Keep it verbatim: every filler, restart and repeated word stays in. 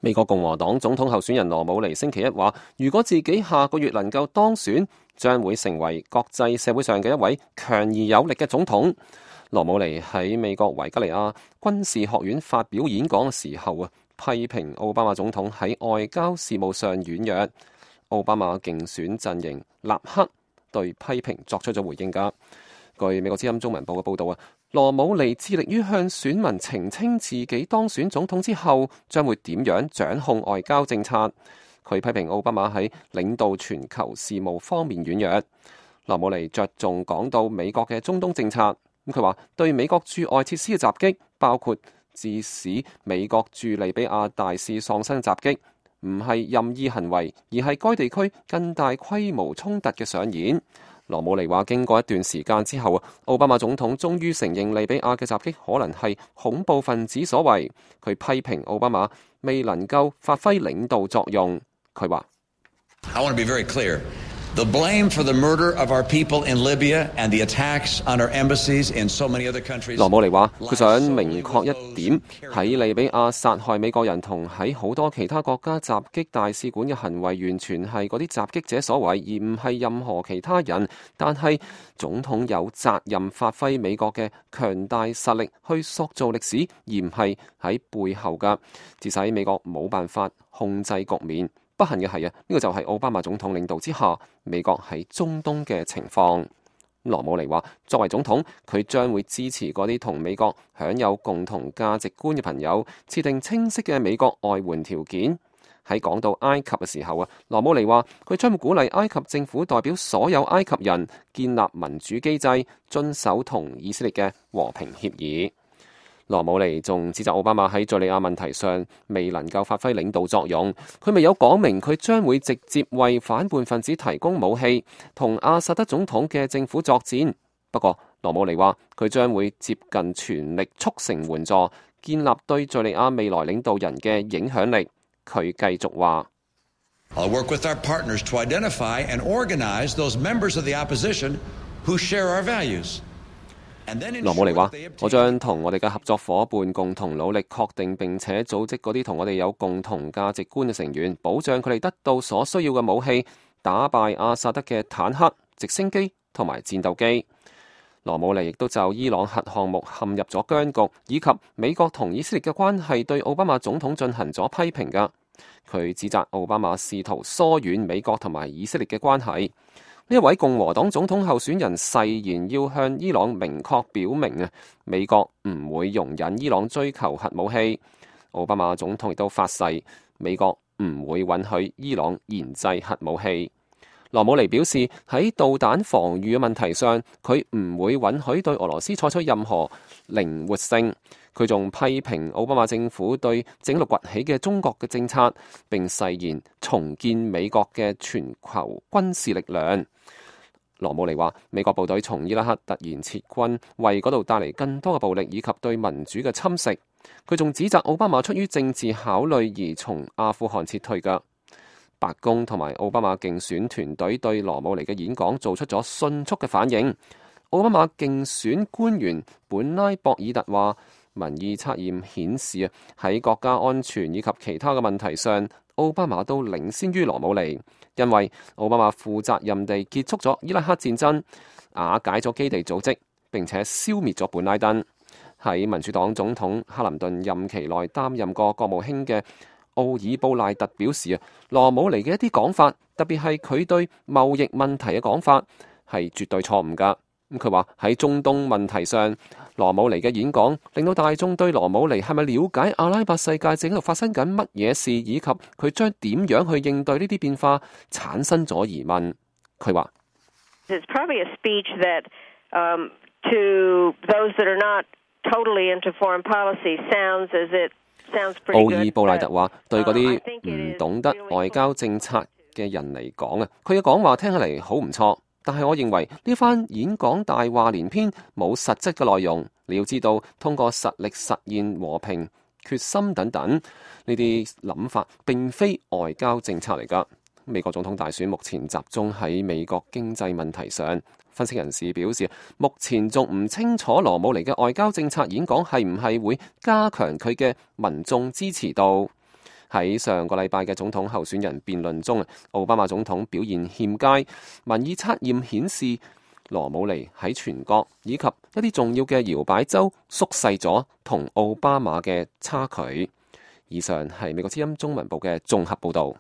美國共和黨總統候選人羅姆尼星期一話，如果自己下個月能夠當選，將會成為國際社會上嘅一位強而有力嘅總統。羅姆尼喺美國維吉尼亞軍事學院發表演講嘅時候啊，批評奧巴馬總統喺外交事務上軟弱。奧巴馬競選陣營立刻對批評作出咗回應㗎。據美國之音中文報嘅報導啊，羅姆尼致力於向選民澄清自己當選總統之後將會點樣掌控外交政策。佢批評奧巴馬喺領導全球事務方面軟弱。羅姆尼着重講到美國嘅中東政策。咁佢話對美國駐外設施嘅襲擊，包括致使美國駐利比亞大使喪生襲擊，唔係任意行為，而係該地區更大規模衝突嘅上演。羅姆尼話：經過一段時間之後啊，奧巴馬總統終於承認利比亞嘅襲擊可能係恐怖分子所為。佢批評奧巴馬未能夠發揮領導作用。佢話：I want to be very clear. The blame for the murder of our people in Libya and the attacks on our embassies in so many other countries. 羅姆尼話：佢想明確一點，喺利比亞殺害美國人同喺好多其他國家襲擊大使館嘅行為，完全係嗰啲襲擊者所為，而唔係任何其他人。但係總統有責任發揮美國嘅強大實力去塑造歷史，而唔係喺背後㗎，致使美國冇辦法控制局面。不幸嘅係啊，呢個就係奧巴馬總統領導之下美國喺中東嘅情況。羅姆尼話：作為總統，佢將會支持嗰啲同美國享有共同價值觀嘅朋友，設定清晰嘅美國外援條件。喺講到埃及嘅時候啊，羅姆尼話佢將會鼓勵埃及政府代表所有埃及人建立民主機制，遵守同以色列嘅和平協議。羅姆尼仲指責奧巴馬喺敘利亞問題上未能夠發揮領導作用，佢未有講明佢將會直接為反叛分子提供武器，同阿薩德總統嘅政府作戰。不過羅姆尼話佢將會接近全力促成援助，建立對敘利亞未來領導人嘅影響力。佢繼續話：I'll work with our partners to identify and organize those members of the opposition who share our values. 羅姆尼話：我將同我哋嘅合作伙伴共同努力，確定並且組織嗰啲同我哋有共同價值觀嘅成員，保障佢哋得到所需要嘅武器，打敗阿薩德嘅坦克、直升機同埋戰鬥機。羅姆尼亦都就伊朗核項目陷入咗僵局，以及美國同以色列嘅關係對奧巴馬總統進行咗批評㗎。佢指責奧巴馬試圖疏遠美國同埋以色列嘅關係。呢一位共和黨總統候選人誓言要向伊朗明確表明啊，美國唔會容忍伊朗追求核武器。奧巴馬總統亦都發誓，美國唔會允許伊朗研製核武器。羅姆尼表示，喺導彈防禦嘅問題上，佢唔會允許對俄羅斯採取任何靈活性。佢仲批評奧巴馬政府對整個崛起嘅中國嘅政策，並誓言重建美國嘅全球軍事力量。羅姆尼話：美國部隊從伊拉克突然撤軍，為嗰度帶嚟更多嘅暴力以及對民主嘅侵蝕。佢仲指責奧巴馬出於政治考慮而從阿富汗撤退㗎。白宮同埋奧巴馬競選團隊對羅姆尼嘅演講做出咗迅速嘅反應。奧巴馬競選官員本拉博爾特話：民意測驗顯示啊，喺國家安全以及其他嘅問題上，奧巴馬都領先於羅姆尼，因為奧巴馬負責任地結束咗伊拉克戰爭，瓦解咗基地組織，並且消滅咗本拉登。喺民主黨總統克林頓任期內擔任過國務卿嘅奧爾布賴特表示啊，羅姆尼嘅一啲講法，特別係佢對貿易問題嘅講法，係絕對錯誤㗎。咁佢話喺中東問題上，羅姆尼嘅演講令到大眾對羅姆尼係咪了解阿拉伯世界正喺度發生緊乜嘢事，以及佢將點樣去應對呢啲變化，產生咗疑問。佢話It's probably a speech that, um, to those that are not totally into foreign policy, sounds as it sounds pretty good. 奧爾布賴特話：對嗰啲唔懂得外交政策嘅人嚟講啊，佢嘅講話聽起嚟好唔錯。但係我認為呢番演講大話連篇，冇實質嘅內容。你要知道，通過實力實現和平、決心等等呢啲諗法，並非外交政策嚟㗎。美國總統大選目前集中喺美國經濟問題上。分析人士表示，目前仲唔清楚羅姆尼嘅外交政策演講係唔係會加強佢嘅民眾支持度。喺上個禮拜嘅總統候選人辯論中，奧巴馬總統表現欠佳，民意測驗顯示羅姆尼喺全國以及一啲重要嘅搖擺州縮細咗同奧巴馬嘅差距。以上係美國之音中文部嘅綜合報導。